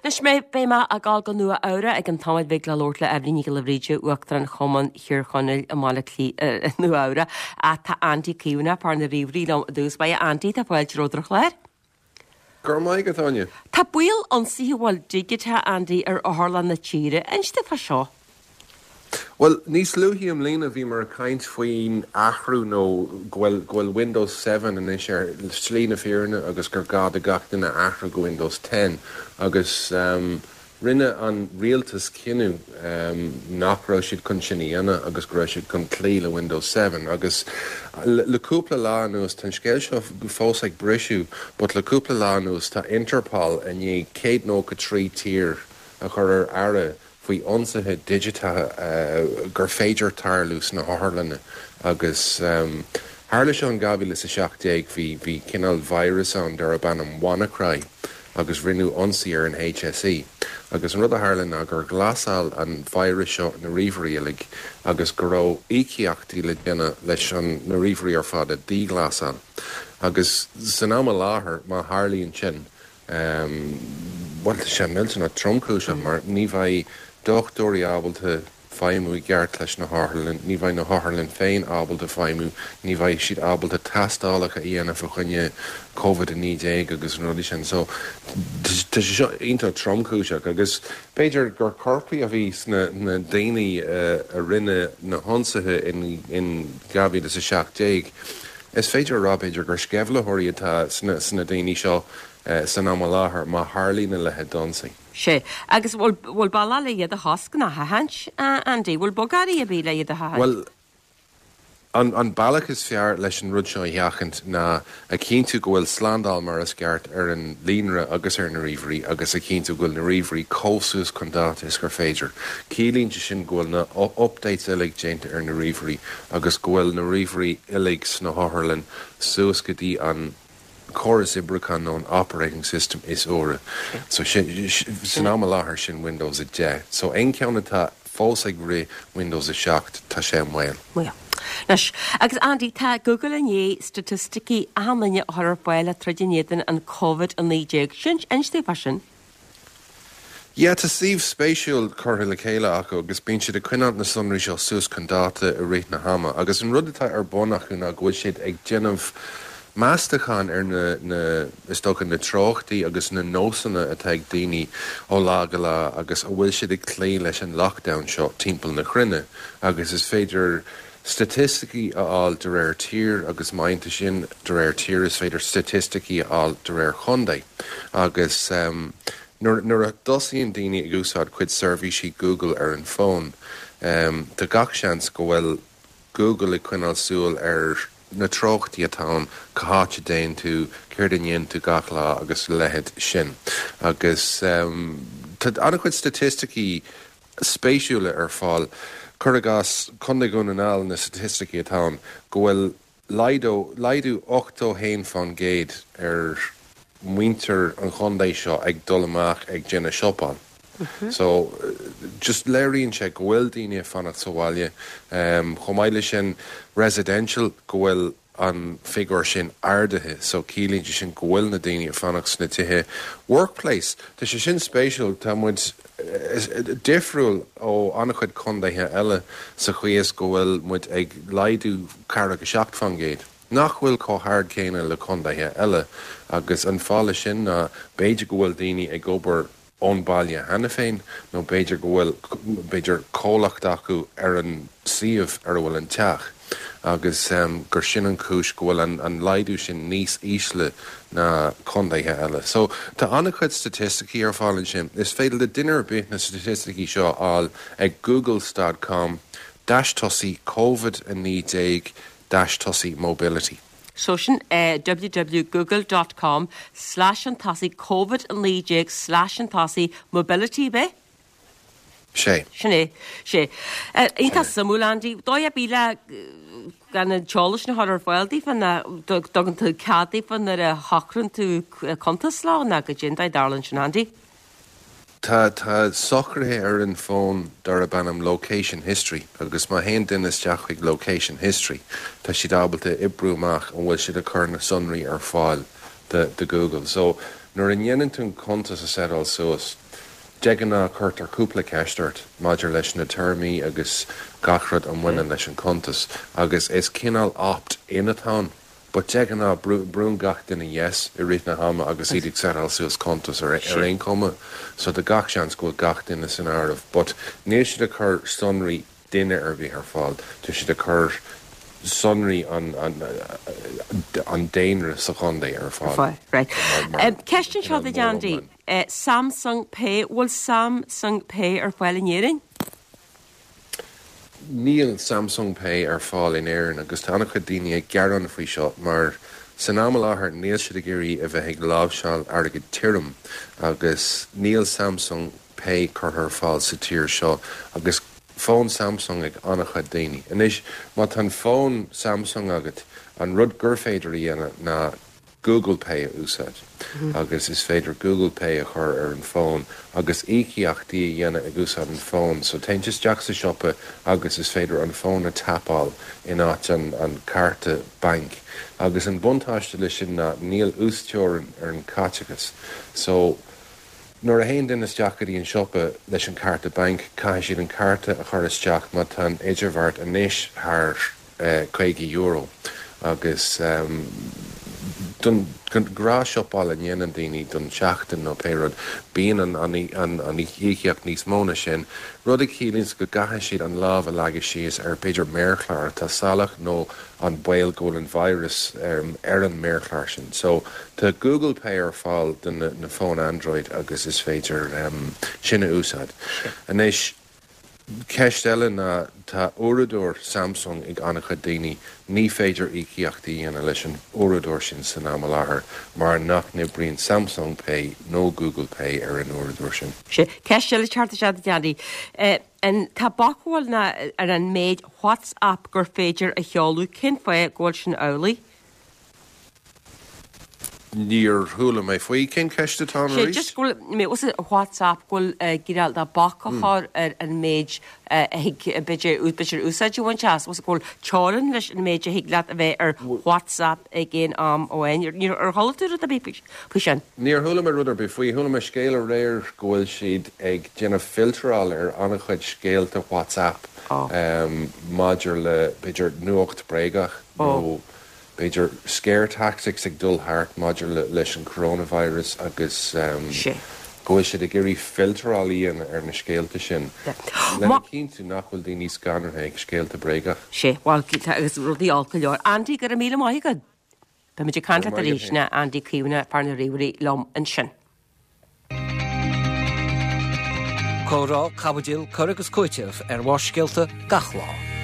Anois mé, beidh mé ag dul go Nua Eabhrac i gceann tamaill bhig le labhairt le Eibhlín Nic Giolla Bhríde, Uachtarán Chumann Thír Chonaill i mBaile Átha Cliath, i Nua Eabhrac. Ach tá Andy Caomhánach, fear na ríomhairí liom i dtús báire. Andy, tá fáilte romhat ar an chlár. Go raibh maith agat, Áine. Tá baol ionsaithe bhuel digiteacha, Andy, ar otharlanna na tíre. Inis domh fá seo. Bhuel, níos luaithe i mbliana bhíomar ag caint faoin athrú nó go bhfuil go bhfuil Windows 7 anois ar shlí na fírinne agus gur gá do gach duine athrú go Windows 10 agus rinne an rialtas cinneadh nach raibh siad chun sin a dhéanamh agus go raibh siad chun cloí le Windows 7 agus le cúpla lá anuas, tá an scéal seo fós ag briseadh but le cúpla lá anuas tá Interpol i ndiaidh 193 tír a chur ar aire faoi ionsaithe digiteacha gur féidir tarlú sna hotharlanna agus tharla seo in 2017, bhí bhí cineál virus ann darb ainm WannaCry agus rinneadh ionsaí ar an HSE agus an rud a tharla ná gur ghlasáil an virus seo na ríomhairí uilig agus go raibh íocaíochtaí le déanamh leis an na ríomhairí ar fad a dhíghlasáil agus san am i láthair má tharlaíonn sin Bhuel, tá sé millteanach tromchúiseach mar ní bheidh dochtúirí ábalta feidhmiú i gceart leis na hotharlann, ní bheidh na hotharlann féin ábalta feidhmiú, ní bheidh siad ábalta tástálacha a dhéanamh fá choinne Covid-19 agus na rudaí sin. So, tá sé seo iontach tromchúiseach agus b'fhéidir gur coirpigh a bhí sna daoine a rinne na hionsaithe in 2017. Is féidir a rá, b'fhéidir, gur sceimhlitheoirí atá sna daoine seo san am i láthair má tharlaíonn a leithéid d'ionsaí. Sea. Agus bhfuil, bhfuil bealach le iad a chosc nó a sheachaint, a Andy? Bhfuil bogearraí ar bith le iad a sheachaint? Bhuel, an, an bealach is fearr leis an rud seo a sheachaint ná a chinntiú go bhfuil slándáil mar is ceart ar an líonra agus ar na ríomhairí agus a chinntiú go bhfuil na ríomhairí chomh suas chun dáta is gur féidir. Ciallaíonn sé sin go bhfuil na updates uilig déanta ar na ríomhairí agus go bhfuil na ríomhairí uilig sna hotharlann suas go dtí an córas oibriúcháin nó an operating system is úire. So san am i láthair sin Windows 10. So aon cheann atá fós ag rith Windows 7 tá sé i mbaol. Mbaol. Anois, agus Andy, tá Google i ndiaidh staitisticí achan duine a chur ar fáil le troid in éadan an Covid-19. Sin, inis domh fá sin. Yeah, tá suíomh spéisiúil curtha le chéile acu agus bíonn siad ag coinneáil na sonraí seo suas chun dáta i rith na hama agus an rud atá ar bun acu ná go bhfuil siad ag déanamh meastachán ar na, na, is dócha, na treochtaí agus na nósanna atá ag daoine ó lá go lá agus a bhfuil siad ag cloí leis an lockdown seo timpeall na cruinne agus is féidir staitisticí a fháil de réir tír agus má dhéanann tú sin de réir tír is féidir staitisticí a fháil de réir chontae agus nuair a thosaíonn daoine ag úsáid cuid seirbhísí Google ar an bhfón tá gach seans go bhfuil Google ag coinneáil súil ar na treochtaí atá ann, cá háit a dtéann tú, céard a ndéanann tú gach lá agus a leithéid sin. Agus tá an-chuid staitisticí spéisiúla ar fáil. Cuir i gcás, Contae Dhún na nGall, na staitisticí atá ann, go bhfuil laghdú, laghdú 81% ar mhuintir an chontae seo ag dul amach ag déanamh siopáil. So, just léiríonn sé go bhfuil daoine ag fanacht sa bhaile. Chomh maith leis sin, residential, go bhfuil an figiúr sin ardaithe so ciallaíonn sé sin go bhfuil na daoine ag fanacht sna tithe. Workplace, tá sé sin spéisiúil, tá muid difriúil ó an-chuid contaetha eile sa chaoi is go bhfuil muid ag laghdú ceathracha 7%, nach bhfuil chomh hard céanna le contaetha eile agus an fáth leis sin ná b'fhéidir go bhfuil daoine ag obair ón baile cheana féin nó b'fhéidir go bhfuil, b'fhéidir, comhlacht acu ar an suíomh ar a bhfuil an teach agus gur sin an chúis go bhfuil an laghdú sin níos ísle ná contaetha eile. So, tá an-chuid staitisticí ar fáil ansin. Is féidir le duine ar bith na staitisticí seo a fháil ag googles dot com dash tosaigh covid 19 dash tosaigh mobility. So sin é www google dot com slash an tosaigh covid 19 slash an tosaigh mobility ab é? Sé. Sin é. Sé. Iontach suimiúil Andy. Dóigh ar bith le gan an t-eolas sin a chur ar fáil daofa nó dtugann tú cead daofa nuair a shocraíonn tú cuntas leo nó goidé an dóigh a dtarlaíonn sin Andy? Tá tá socruithe ar an bhfón darb ainm Location History agus má théann duine isteach chuig Location History tá siad ábalta oibriú amach an bhfuil siad ag cur na sonraí ar fáil do do Google. So nuair a ndéanann tú an cuntas a seitáil suas. De ghnáth cuirtear cúpla ceist ort maidir leis na téarmaí agus gach rud a mbaineann leis an cuntas agus is cineál opt in atá ann but de ghnáth brúnn gach duine yes i rith na hama agus iad ag setáil suas cuntas ar aon chuma so tá gach seans go bhfuil gach duine san áireamh but níl siad ag cur sonraí duine ar bith ar fáil. Tá siad ag cur sonraí an daonra sa chontae ar fáil. Right. Ceist anseo duit Andy. Samsung Pay, bhfuil Samsung Pay ar fáil in Éirinn? Níl Samsung Pay ar fáil in Éirinn agus tá an-chuid daoine ag gearán faoi seo mar san am i láthair níl siad ag iarraidh a bheith ag láimhseáil airgead tirim agus níl Samsung Pay curtha ar fáil sa tír seo agus fón Samsung ag an-chuid daoine. Anois, má tá an fón Samsung agat, an rud gur féidir a dhéanamh ná Google Pay a úsáid agus is féidir Google Pay a chur ar an bhfón agus íocaíochtaí a dhéanamh ag úsáid an fón. So téann tú isteach sa siopa agus is féidir an fón a tapáil in áit an an cárta bainc. Agus an buntáiste leis sin ná níl uasteorainn ar an caiteachas. So. Nuair a théann duine isteach go dtí an siopa leis an cárta bainc, caithfidh siad an cárta a chur isteach má tá an idirbheart anois thar €50 agus don ghnáthshiopail a ndéanann daoine don tseachtain nó pé rud, bíonn an íocaíocht níos mó ná sin, rud a chiallaíonns go gcaithfidh siad an lámh a leagadh síos ar b'fhéidir méarchlár atá salach nó an baol go bhfuil an virus ar an méarchlár sin. So, tá Google Pay ar fáil do na fóin Android agus is féidir sin a úsáid. Anois, ceist eile ná, tá uaireadóir Samsung ag an-chuid daoine, ní féidir íocaíocht a dhéanamh leis an uaireadóir sin san am i láthair mar nach n-oibríonn Samsung Pay nó Google Pay ar an uaireadóir sin. Sea. Ceist eile ag teacht isteach duit Andy. An tá bac bhfuil ná ar an méid WhatsApp gur féidir a sheoladh, cén fáth go bhfuil sin amhlaidh? Níor chuala mé faoi. Cén ceist atá ann arís? Just go bhfuil mé os WhatsApp go bhfuil cineál de bac a chur ar an méid a thig b'fhéidir b'fhéidir úsáid a bhaint as, go bhfuil teorainn leis an méid a thig leat a bheith ar WhatsApp ag aon am amháin. Ar chuala tú rud ar bith faoi sin? Níor chuala mé rud ar bith faoi. Chuala mé scéal aréir go bhfuil siad ag déanamh filteráil ar an-chuid scéalta WhatsApp maidir le, b'fhéidir, nuacht bréagach nó b'fhéidir scare tactics ag dul thart maidir leis an coronavirus agus go bhfuil siad ag iarraidh filteráil a dhéanamh ar na scéalta sin lena chinntiú nach bhfuil daoine scanraithe ag scéalta bréagach. Sea, bhuel, agus rudaí olc go leor. Andy, go raibh míle maith agat. Beimid ag caint leat arís, sin é Andy Caomhánach, fear na ríomhairí liom ansin. Comhrá, caibidil, cur agus cúiteamh ar Bharrscéalta gach lá.